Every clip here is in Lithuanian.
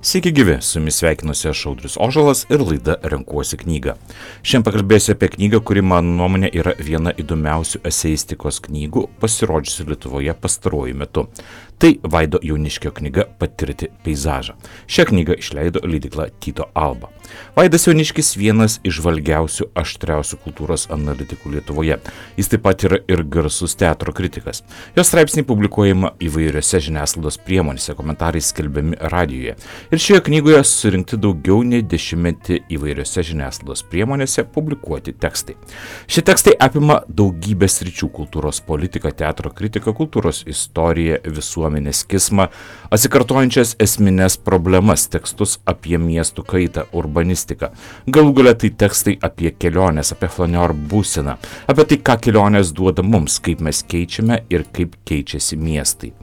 Sveiki gyvi, su jumis sveikinuosi aš Audrius Ožalas ir laida Renkuosi knygą. Šiandien pakalbėsiu apie knygą, kuri mano nuomonė yra viena įdomiausių eseistikos knygų pasirodžiusių Lietuvoje pastaruoju metu. Tai Vaido Jauniškio knyga Patirti peizažą. Šią knygą išleido leidykla Tyto Alba. Vaidas Jauniškis vienas įžvalgiausių, aštriausių kultūros analitikų Lietuvoje. Jis taip pat yra ir garsus teatro kritikas. Jo straipsniai publikuojama įvairiose žiniasklaidos priemonėse, komentarai skelbiami radijoje. Ir šioje knygoje surinkti daugiau nei 10 įvairiose žiniasklaidos priemonėse publikuoti tekstai. Šie tekstai apima daugybę sričių: kultūros politika, teatro kritika, kultūros istorija, visuomenės kismą, atsikartojančias esmines problemas, tekstus apie miestų kaitą, urbanistiką. Galų gale tai tekstai apie keliones, apie flaneur būseną, apie tai, ką kelionės duoda mums, kaip mes keičiame ir kaip keičiasi miestai.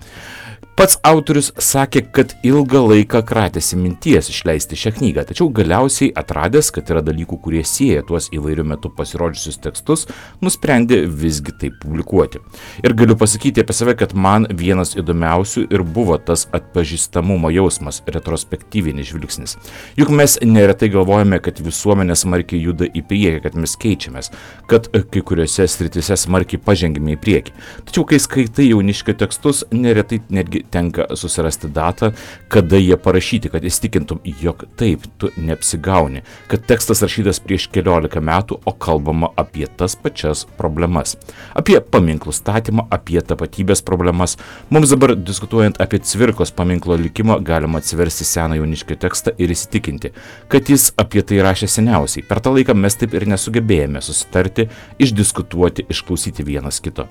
Pats autorius sakė, kad ilgą laiką kratėsi minties išleisti šią knygą, tačiau galiausiai atradęs, kad yra dalykų, kurie sieja tuos įvairių metų pasirodžiusius tekstus, nusprendė visgi tai publikuoti. Ir galiu pasakyti apie save, kad man vienas įdomiausių ir buvo tas atpažįstamumo jausmas, retrospektyvinis žvilgsnis. Juk mes neretai galvojame, kad visuomenė smarkiai juda į priekį, kad mes keičiamės, kad kai kuriuose sritise smarkiai pažengime į priekį. Tačiau kai skaitai Jauniškio tekstus, neretai netgi tenka susirasti datą, kada jie parašyti, kad įstikintum, jog taip, tu neapsigauni, kad tekstas rašytas prieš 14 metų, o kalbama apie tas pačias problemas. Apie paminklų statymą, apie tapatybės problemas. Mums dabar diskutuojant apie Cvirkos paminklo likimą, galima atsiversti seną Jauniškio tekstą ir įsitikinti, kad jis apie tai rašė seniausiai. Per tą laiką mes taip ir nesugebėjome susitarti, išdiskutuoti, išklausyti vienas kito.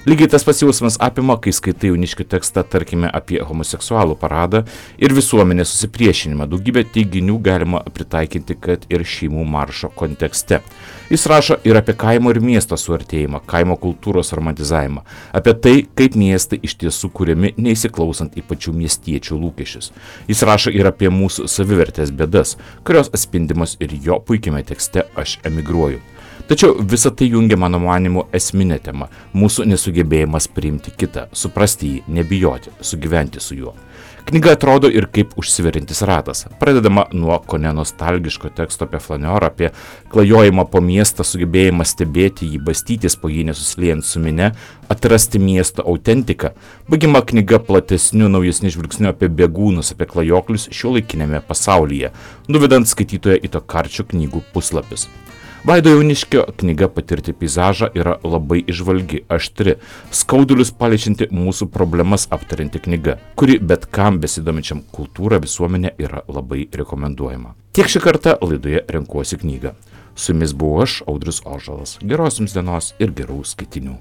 Lygiai tas pats jausmas apima, kai skaitai Jauniškio tekstą, tarkime, apie homoseksualų paradą ir visuomenės susipriešinimą. Daugybę teiginių galima pritaikyti, kad ir šeimų maršo kontekste. Jis rašo ir apie kaimo ir miesto suartėjimą, kaimo kultūros romantizavimą, apie tai, kaip miestai iš tiesų kuriami neįsiklausant į pačių miestiečių lūkesčius. Jis rašo ir apie mūsų savivertės bėdas, kurios atspindimos ir jo puikiame tekste Aš emigruoju. Tačiau visą tai jungia, mano manymu, esminė tema – mūsų nesugebėjimas priimti kitą, suprasti jį, nebijoti, sugyventi su juo. Knyga atrodo ir kaip užsiverintis ratas. Pradedama nuo kone nostalgiško teksto apie flaneurą, apie klajojimą po miestą, sugebėjimą stebėti jį, bastytis po jį nesusiliejant su mine, atrasti miesto autentiką. Baigiama knyga platesniu, naujesniu žvilgsniu apie bėgūnus, apie klajoklius šiuolaikinėme pasaulyje, nuvedant skaitytoją į tokarčių knygų puslapius. Vaido Jauniškio knyga Patirti peizažą yra labai įžvalgi, aštri, skaudulius paliečianti mūsų problemas aptarinti knyga, kuri bet kam besidominčiam kultūrą visuomenė yra labai rekomenduojama. Tiek šį kartą laidoje Renkuosi knygą. Su jumis buvau aš, Audrius Ožalas. Geros jums dienos ir gerų skaitinių.